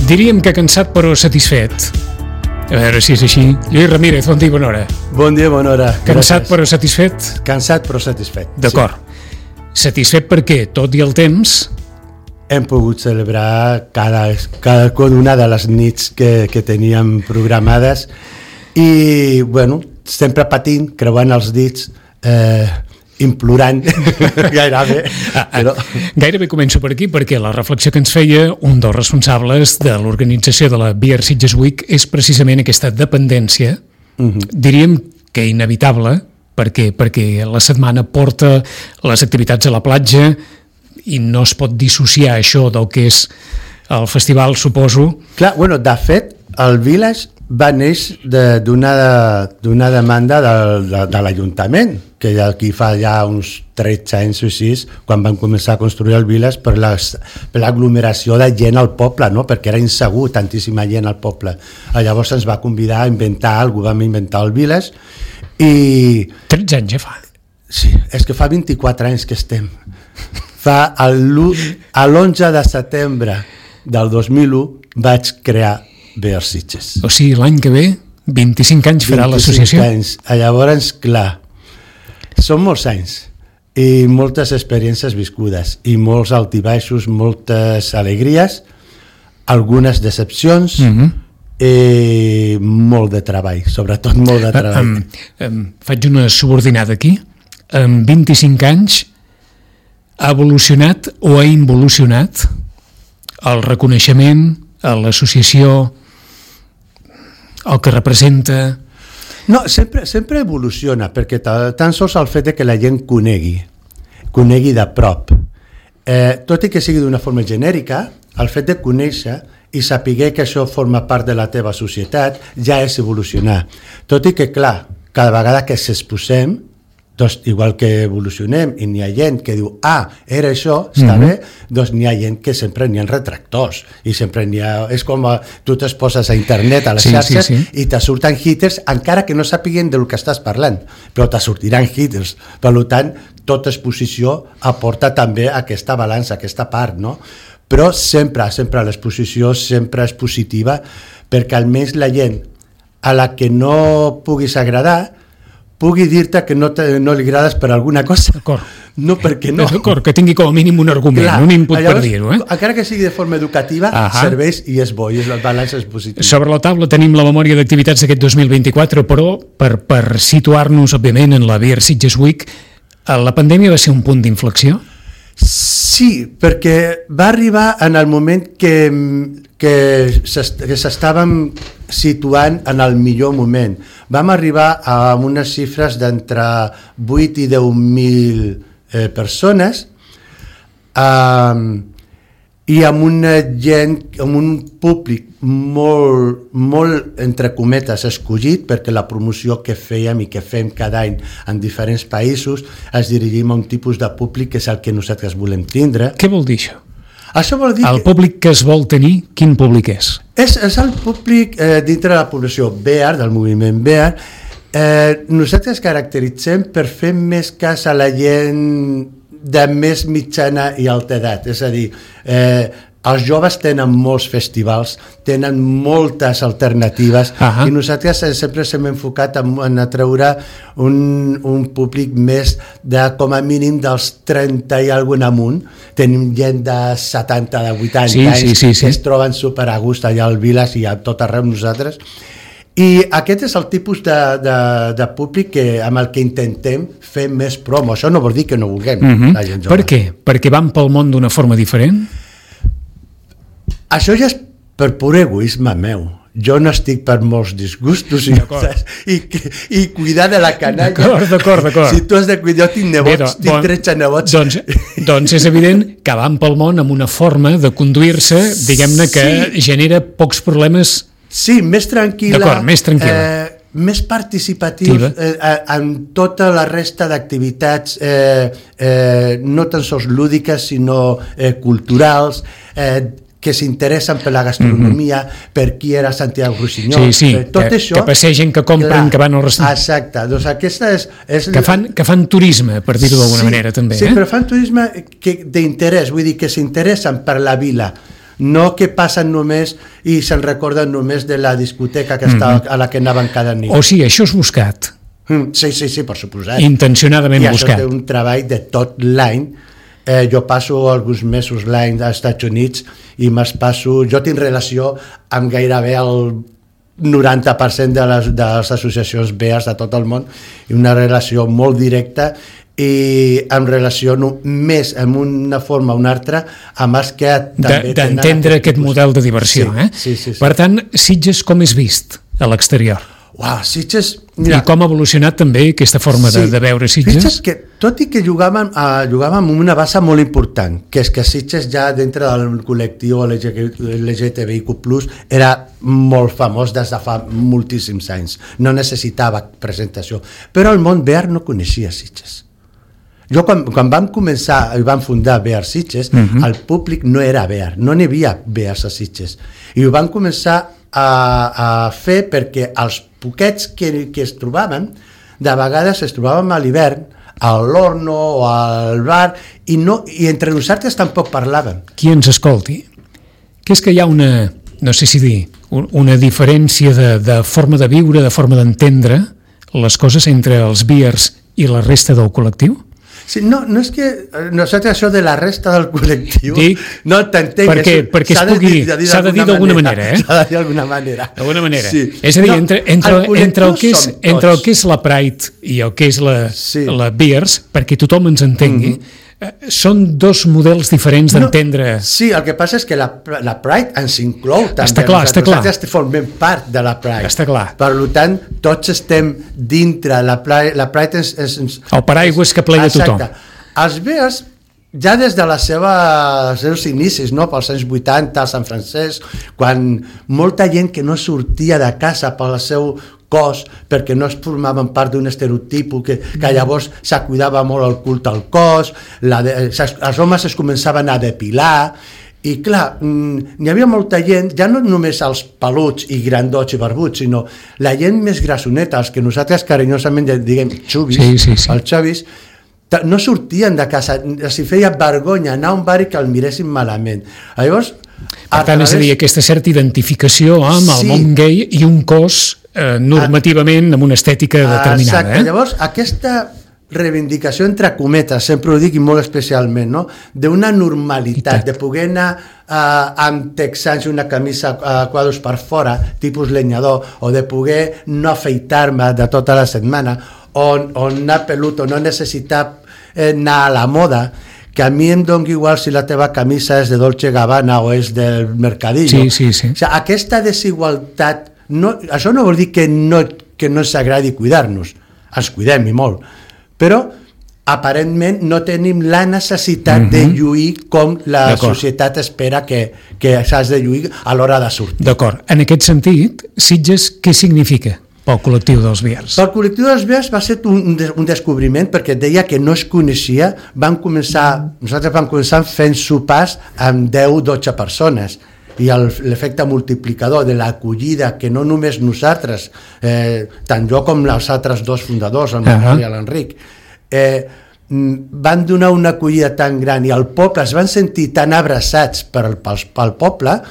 Diríem que cansat però satisfet. A veure si és així. Lluís Ramírez, bon dia, bona hora. Bon dia, bona hora. Cansat Gràcies. però satisfet? Cansat però satisfet. D'acord. Sí. Satisfet perquè, tot i el temps, hem pogut celebrar cada una de les nits que teníem programades i, bueno, sempre patint, creuant els dits, implorant gairebé. Però... Gairebé començo per aquí perquè la reflexió que ens feia un dels responsables de l'organització de la Beer Sitges Week és precisament aquesta dependència, diríem que inevitable, perquè la setmana porta les activitats a la platja i no es pot dissociar això del que és el festival, suposo. Clar, bueno, de fet, el Village va néixer d'una demanda de l'Ajuntament, que aquí fa ja uns 13 anys o així, quan van començar a construir el Village per l'aglomeració de gent al poble, no? Perquè era insegur tantíssima gent al poble. Llavors ens va convidar a inventar alguna cosa, vam inventar el Village i... 13 anys ja fa. Sí, és que fa 24 anys que estem. Fa l'11 de setembre del 2001 vaig crear Beer Sitges. O sigui, l'any que ve, 25 anys farà l'associació. 25 anys. Llavors, clar, són molts anys i moltes experiències viscudes i molts altibaixos, moltes alegries, algunes decepcions i molt de treball, sobretot molt de treball. Faig una subordinada aquí. En 25 anys ha evolucionat o ha involucionat el reconeixement, l'associació, el que representa... No, sempre evoluciona, perquè tan sols el fet que la gent conegui de prop. Tot i que sigui d'una forma genèrica, el fet de conèixer i saber que això forma part de la teva societat ja és evolucionar. Tot i que, clar, cada vegada que s'exposem, doncs, igual que evolucionem i n'hi ha gent que diu, era això, està bé, doncs n'hi ha gent que sempre n'hi ha retractors i sempre n'hi ha... És com tu te'ls poses a internet, a les xarxes, i te surten haters, encara que no sàpiguen del que estàs parlant, però te sortiran haters. Per tant, tota exposició aporta també aquesta balança, aquesta part, no? Però sempre l'exposició sempre és positiva, perquè almenys la gent a la que no puguis agradar pugui dir-te que no li agrades per alguna cosa. D'acord. No perquè no. D'acord, que tingui com a mínim un argument, un input per dir-ho. Encara que sigui de forma educativa, serveix i és bo, i el balanç és positiu. Sobre la taula tenim la memòria d'activitats d'aquest 2024, però per situar-nos, òbviament, en la Beer Sitges Week, la pandèmia va ser un punt d'inflexió? Sí, perquè va arribar en el moment que s'estàvem situant en el millor moment. Vam arribar a unes xifres d'entre 8 i 10.000 persones i amb una gent, amb un públic molt entre cometes escollit, perquè la promoció que fèiem i que fem cada any en diferents països es dirigim a un tipus de públic que és el que nosaltres volem tindre. Què vol dir això? Això vol dir el públic que es vol tenir, quin públic és? És el públic dintre de la població beer, del moviment beer. Nosaltres caracteritzem per fer més cas a la gent de més mitjana i alta edat, és a dir, els joves tenen molts festivals, tenen moltes alternatives i nosaltres sempre s'hem enfocat en atreure un públic més de com a mínim dels 30 i algun amunt. Tenim gent de 70, de 80 anys que es troben super a gust allà al Village i a tot arreu nosaltres. I aquest és el tipus de públic amb el que intentem fer més promo. Això no vol dir que no vulguem la gent jove. Per què? Perquè van pel món d'una forma diferent? Això ja és per pur egoisme meu. Jo no estic per molts disgustos i cuidar de la canalla. D'acord. Si tu has de cuidar, jo tinc nebots, tinc 13 nebots. Doncs és evident que van pel món amb una forma de conduir-se, diguem-ne, que genera pocs problemes. Sí, més tranquil·la. D'acord, més tranquil·la. Més participatiu en tota la resta d'activitats, no tan sols lúdiques, sinó culturals, que s'interessen per la gastronomia, per qui era Santiago Rusiñol, tot això... Que passegen, que compren, que van al restaurant. Exacte, doncs aquesta és... Que fan turisme, per dir-ho d'alguna manera, també. Sí, però fan turisme d'interès, vull dir que s'interessen per la vila. no que passen només i se'n recorden només de la discoteca que estava, a la que anaven cada nit. O sigui, això és buscat. Sí, per suposat. Intencionadament buscat. I això té un treball de tot l'any. Jo passo alguns mesos l'any als Estats Units i jo tinc relació amb gairebé el 90% de les associacions BEARS de tot el món, i una relació molt directa, i em relaciono més en una forma o una altra amb els que també d'entendre aquest model de diversió. Sí. Per tant, Sitges com és vist a l'exterior? Sitges... Mira, i com ha evolucionat també aquesta forma de veure Sitges? Sitges, que, tot i que jugàvem amb una base molt important, que és que Sitges ja dintre del col·lectiu LGTBIQ+, era molt famós des de fa moltíssims anys, no necessitava presentació, però el món BEAR no coneixia Sitges. Jo quan vam començar i vam fundar BEAR Sitges, el públic no era BEAR, no n'hi havia BEARs a Sitges, i ho vam començar a fer perquè els poquets que es trobaven, de vegades es trobàvem a l'hivern a l'horno o al bar i entre nosaltres tampoc parlàvem. Qui ens escolti, que és que hi ha una, no sé si dir, una diferència de forma de viure, de forma d'entendre les coses entre els BEARs i la resta del col·lectiu? Sí, no és que nosaltres això de la resta del col·lectiu no t'entenc, perquè s'ha de dir d'alguna manera, s'ha de dir d'alguna manera, sí. És a dir, entre el que és la Pride i el que és la BEARS, perquè tothom ens entengui, són dos models diferents d'entendre. Sí, el que passa és que la Pride ens inclou també. Està clar. Nosaltres formem part de la Pride. Està clar. Per tant, tots estem dintre. La Pride és el paraigua que plega tothom. Els BEARs, ja des de els seus inicis, no? Pels anys 80, a Sant Francesc, quan molta gent que no sortia de casa pel seu cos, perquè no es formaven part d'un estereotip que llavors se cuidava molt el culte al cos, els homes es començaven a depilar, i clar, n'hi havia molta gent, ja no només els peluts i grandots i barbuts, sinó la gent més grassoneta, els que nosaltres carinyosament diguem xubis, els xavis, no sortien de casa, els feia vergonya anar a un bar i que el miressin malament. Llavors, per tant, és a dir, aquesta certa identificació amb el món gay i un cos normativament amb una estètica determinada. Exacte, llavors aquesta reivindicació entre cometes, sempre ho dic i molt especialment, no? D'una normalitat, de poder anar amb texans i una camisa a quadros per fora, tipus lenyador, o de poder no afeitar-me de tota la setmana, o anar pelut, o no necessitar anar a la moda, que a mi em doni igual si la teva camisa és de Dolce Gabbana o és del Mercadillo. Sí. O sigui, aquesta desigualtat, això no vol dir que no ens agradi cuidar-nos, ens cuidem i molt, però aparentment no tenim la necessitat de lluir com la societat espera que s'has de lluir a l'hora de sortir. D'acord. En aquest sentit, Sitges, què significa pel col·lectiu dels BEARs? Pel col·lectiu dels BEARs va ser un descobriment, perquè deia que no es coneixia. Nosaltres vam començar fent sopars amb 10-12 persones, i l'efecte multiplicador de l'acollida que no només nosaltres, tant jo com els altres dos fundadors, el Manuel i l'Enric, van donar una acollida tan gran i el poble es van sentir tan abraçats pel poble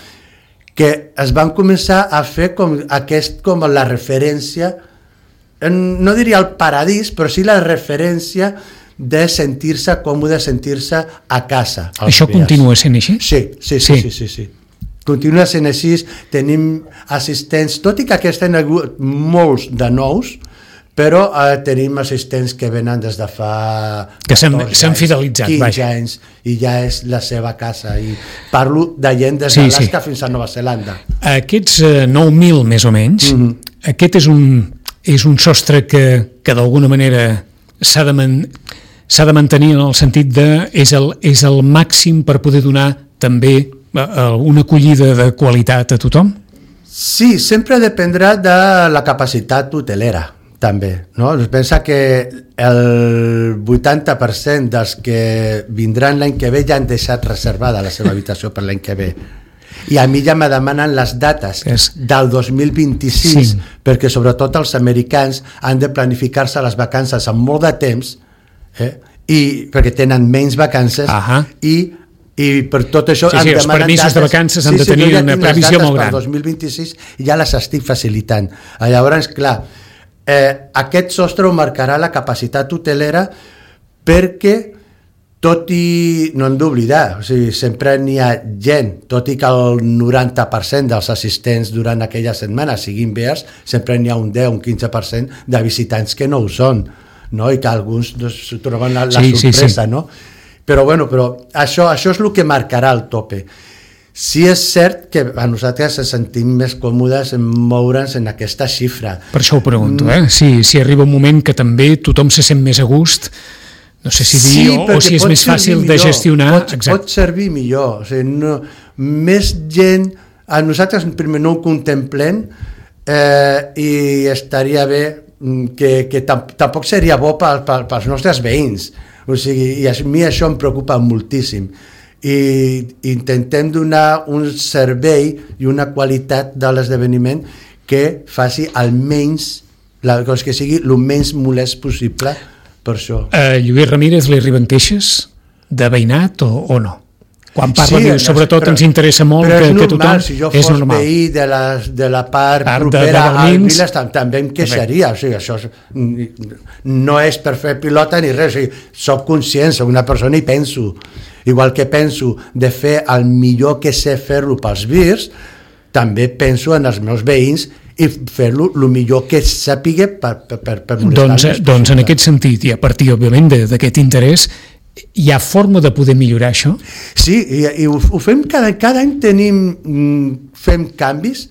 que es van començar a fer com la referència, no diria el paradís, però sí la referència de sentir-se còmode, sentir-se a casa. Això continua sent així? Sí. Continua sent així, tenim assistents, tot i que aquest any hi ha hagut molts de nous, però tenim assistents que venen des de fa s'han fidelitzat, 15 anys, i ja és la seva casa, i parlo de gent des d'Alaska fins a Nova Zelanda. Aquests 9.000 més o menys, aquest és un sostre que d'alguna manera s'ha de mantenir en el sentit de és el màxim per poder donar també una acollida de qualitat a tothom? Sí, sempre dependrà de la capacitat hotelera, també. No? Pensa que el 80% dels que vindran l'any que ve ja han deixat reservada la seva habitació per l'any que ve. I a mi ja me demanen les dates del 2026, perquè sobretot els americans han de planificar-se les vacances amb molt de temps, i perquè tenen menys vacances, i i per tot això els permisos de vacances han de tenir una previsió molt gran. Per 2026 ja les estic facilitant. Llavors, clar, aquest sostre ho marcarà la capacitat hotelera, perquè tot i, no hem d'oblidar, sempre n'hi ha gent, tot i que el 90% dels assistents durant aquella setmana siguin bears, sempre n'hi ha un 10, un 15% de visitants que no ho són, no? I que alguns troben la sorpresa, no? Però això és el que marcarà el tope. Sí és cert que a nosaltres ens sentim més còmodes en moure'ns en aquesta xifra. Per això ho pregunto, si arriba un moment que també tothom se sent més a gust, no sé si dir, o si és més fàcil de gestionar. Pot servir millor. Més gent, a nosaltres primer no ho contemplem, i estaria bé que tampoc seria bo pels nostres veïns. I a mi això em preocupa moltíssim. I intentem donar un servei i una qualitat de l'esdeveniment que faci almenys, que sigui el menys molest possible per això. Lluís Ramírez, li arriben queixes de veïnat o no? Quan parla, sobretot ens interessa molt que tothom... Si jo fos veí de la part propera al Viles, també em queixaria. Això no és per fer pilota ni res. Soc conscient, soc una persona i penso. Igual que penso de fer el millor que sé fer-lo pels virs, també penso en els meus veïns i fer-lo el millor que sàpiga per molestar-los. Doncs en aquest sentit, i a partir, òbviament, d'aquest interès, hi ha forma de poder millorar això? Sí, i ho fem cada any, fem canvis.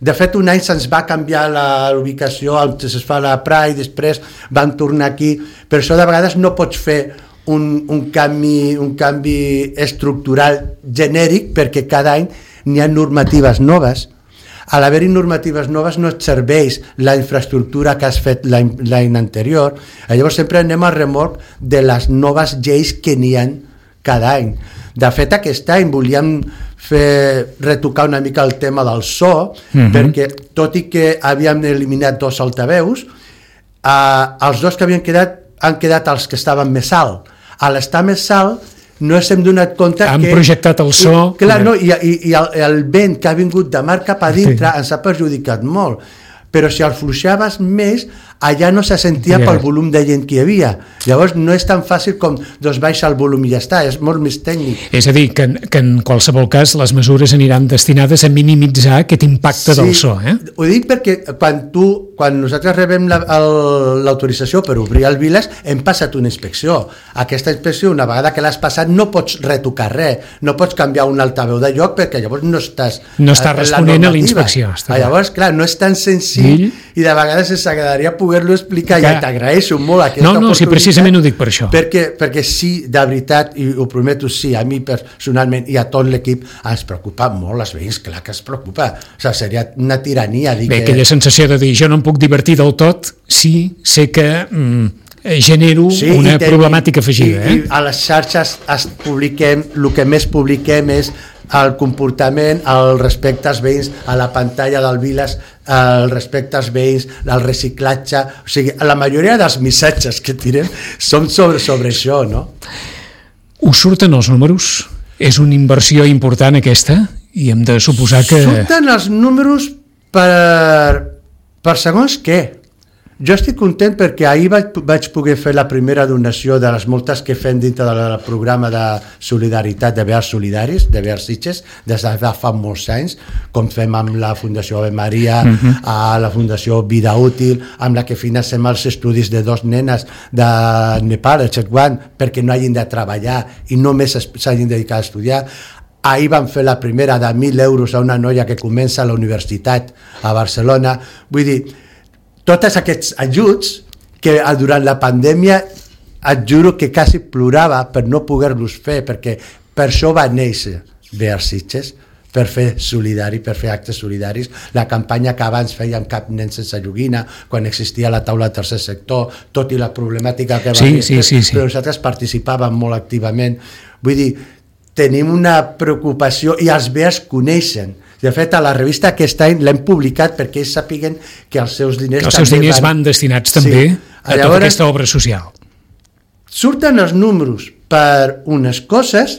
De fet, un any se'ns va canviar l'ubicació, es fa la Pride, després van tornar aquí. Per això de vegades no pots fer un canvi estructural genèric, perquè cada any n'hi ha normatives noves. A l'haver-hi normatives noves no et serveix la infraestructura que has fet l'any anterior. Llavors sempre anem al remolc de les noves lleis que n'hi ha cada any. De fet, aquest any volíem retocar una mica el tema del so, perquè tot i que havíem eliminat 2 altaveus, els 2 que havien quedat han quedat els que estaven més alt. A l'estar més alt no ens hem donat compte han projectat el so... Clar, no, i el vent que ha vingut de mar cap a dintre ens ha perjudicat molt. Però si el fluixaves més, allà no se sentia pel volum de gent que hi havia. Llavors no és tan fàcil com baixa el volum i ja està, és molt més tècnic. És a dir, que en qualsevol cas les mesures aniran destinades a minimitzar aquest impacte del so. Ho dic perquè quan nosaltres rebem l'autorització per obrir el Viles, hem passat una inspecció. Aquesta inspecció, una vegada que l'has passat, no pots retocar res, no pots canviar un altaveu de lloc perquè llavors no estàs responent a la inspecció. Llavors, clar, no és tan senzill i de vegades ens agradaria poder-lo explicar i t'agraeixo molt aquesta oportunitat. Sí, precisament ho dic per això. Perquè sí, de veritat, i ho prometo, sí, a mi personalment i a tot l'equip ens preocupa molt els veïns, clar que es preocupa. O sigui, seria una tirania dir que... aquella sensació de dir jo no em puc divertir del tot, sí, sé que genero una problemàtica afegida. I a les xarxes publiquem, el que més publiquem és el comportament, el respecte als veïns, a la pantalla del Viles, el respecte als veïns, el reciclatge, o sigui, la majoria dels missatges que tirem són sobre això, no? Us surten els números? És una inversió important aquesta? I hem de suposar que... Surten els números per segons què. Jo estic content perquè ahir vaig poder fer la primera donació de les moltes que fem dintre del programa de solidaritat de Bears Solidaris, de Bears Sitges, des de fa molts anys, com fem amb la Fundació Ave Maria, a la Fundació Vida Útil, amb la que financem els estudis de 2 nenes de Nepal, el Chetwan, perquè no hagin de treballar i només s'hagin dedicat a estudiar. Ahir vam fer la primera de 1.000 euros a una noia que comença a la universitat a Barcelona. Vull dir, tots aquests ajuts que durant la pandèmia et juro que quasi plorava per no poder-los fer, perquè per això va néixer Bears Sitges, per fer solidari, per fer actes solidaris. La campanya que abans fèiem Cap nen sense joguina, quan existia la taula del tercer sector, tot i la problemàtica que va haver, però nosaltres participàvem molt activament. Vull dir, tenim una preocupació i els Bears coneixen. De fet, a la revista aquest any l'hem publicat perquè ells sàpiguen que els seus diners van destinats també a tota aquesta obra social. Surten els números per unes coses,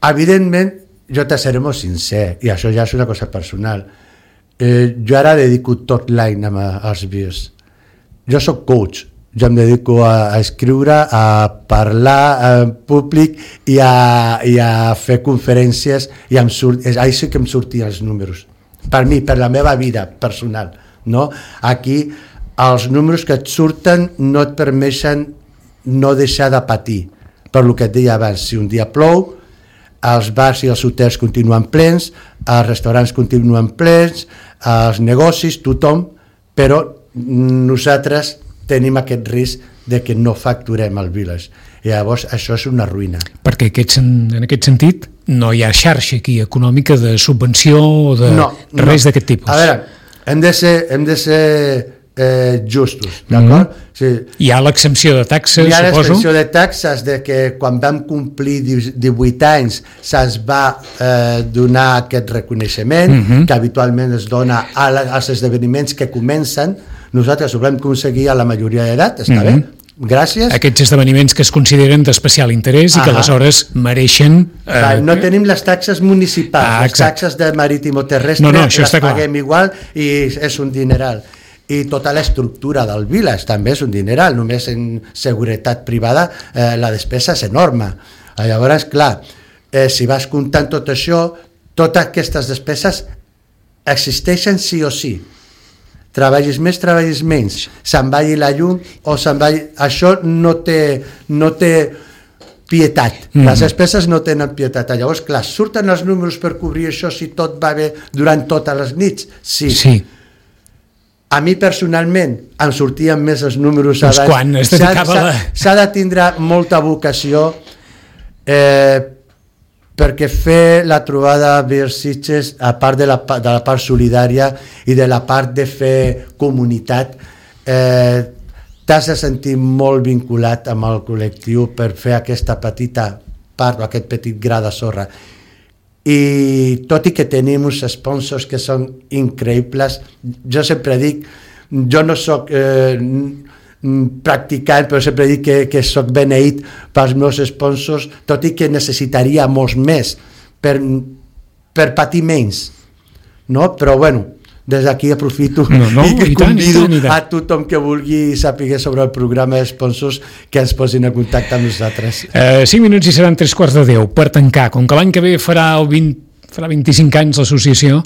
Evidentment, jo te seré molt sincer, i això ja és una cosa personal. Jo ara dedico tot l'any als vies. Jo soc coach, jo em dedico a escriure, a parlar en públic i a fer conferències, i ahí sí que em sortien els números. Per mi, per la meva vida personal. No? Aquí, els números que et surten no et permeten no deixar de patir. Per lo que et deia abans, si un dia plou, els bars i els hotels continuen plens, els restaurants continuen plens, els negocis, tothom, però nosaltres tenim aquest risc de que no facturem al Village. I llavors això és una ruïna. Perquè en aquest sentit no hi ha xarxa aquí econòmica de subvenció o de res d'aquest tipus. A veure, hem de ser justos, d'acord? Sí. Hi ha l'exempció de taxes, suposo? Hi ha l'exempció de taxes de que quan vam complir 18 anys se'ns va donar aquest reconeixement que habitualment es dona als esdeveniments que comencen. Nosaltres ho vam aconseguir a la majoria d'edat, està bé? Gràcies. Aquests esdeveniments que es consideren d'especial interès i que aleshores mereixen... No tenim les taxes municipals, les taxes de marítimo terrestre les paguem igual i és un dineral. I tota l'estructura del Village també és un dineral, només en seguretat privada la despesa és enorme. Llavors, clar, si vas comptant tot això, totes aquestes despeses existeixen sí o sí. Treballis més, treballis menys, se'n vagi la llum o se'n vagi... Això no té pietat, les despeses no tenen pietat. Llavors, clar, surten els números per cobrir això si tot va bé durant totes les nits? Sí. A mi personalment em sortien més els números abans. Quan es dedicava s'ha de tindre molta vocació perquè fer la trobada Beer-Sitges, a part de la part solidària i de la part de fer comunitat, t'has de sentir molt vinculat amb el col·lectiu per fer aquesta petita part o aquest petit gra de sorra. I tot i que tenim uns sponsors que són increïbles, jo sempre dic, jo no soc practicant, però sempre dic que soc beneït pels meus sponsors, tot i que necessitaria molts més per patir menys, no? Però bueno, des d'aquí aprofito i convido a tothom que vulgui saber sobre el programa de sponsors que ens posin en contacte amb nosaltres. 5 minuts i seran 3:15 per tancar. Com que l'any que ve farà 25 anys l'associació,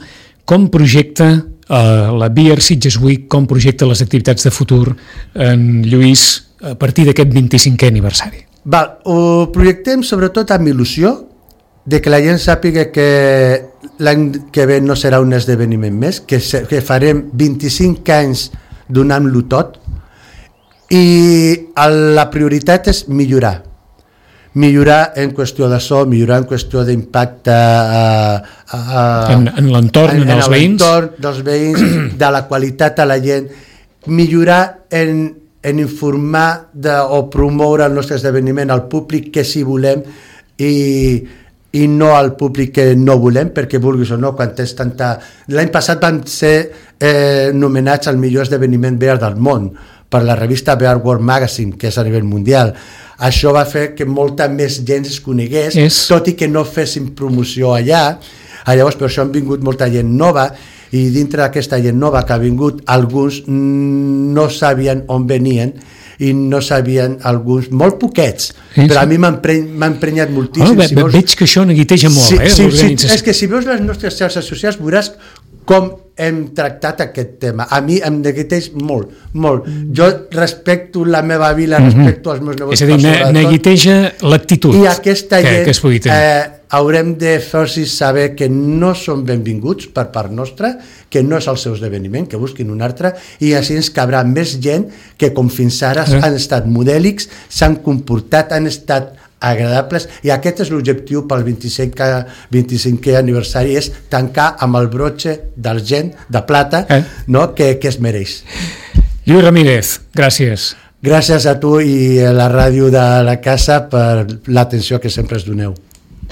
com projecta la Beer-Sitges Week, com projecta les activitats de futur en Lluís a partir d'aquest 25è aniversari? Ho projectem sobretot amb il·lusió de que la gent sàpiga que l'any que ve no serà un esdeveniment més, que farem 25 anys donant-lo tot, i la prioritat és millorar en qüestió de so, millorar en qüestió d'impacte en l'entorn, en els veïns, dels veïns, de la qualitat a la gent, millorar en informar o promoure el nostre esdeveniment al públic que sí volem i no al públic que no volem, perquè vulguis o no, quan tens tanta... L'any passat van ser nomenats al millor esdeveniment beer del món per la revista Beer World Magazine, que és a nivell mundial. Això va fer que molta més gent es conegués, tot i que no fessin promoció allà. Llavors, per això han vingut molta gent nova, i dintre d'aquesta gent nova que ha vingut, alguns no sabien on venien, i no sabien alguns, molt poquets, però a mi m'ha emprenyat moltíssim. Veig que això neguiteja molt, l'organització. És que si veus les nostres xarxes socials veuràs com hem tractat aquest tema. A mi em neguiteix molt, molt. Jo respecto la meva vila, respecto els meus negocios. És a dir, neguiteja l'actitud i aquesta gent que es pugui tenir. Haurem de fer-los saber que no són benvinguts per part nostra, que no és el seu esdeveniment, que busquin un altre, i així ens cabrà més gent que com fins ara han estat modèlics, s'han comportat, han estat agradables, i aquest és l'objectiu pel 25è aniversari, és tancar amb el brotxe d'argent, de plata, que es mereix. Lluís Ramírez, gràcies. Gràcies a tu i a la ràdio de la casa per l'atenció que sempre ens doneu.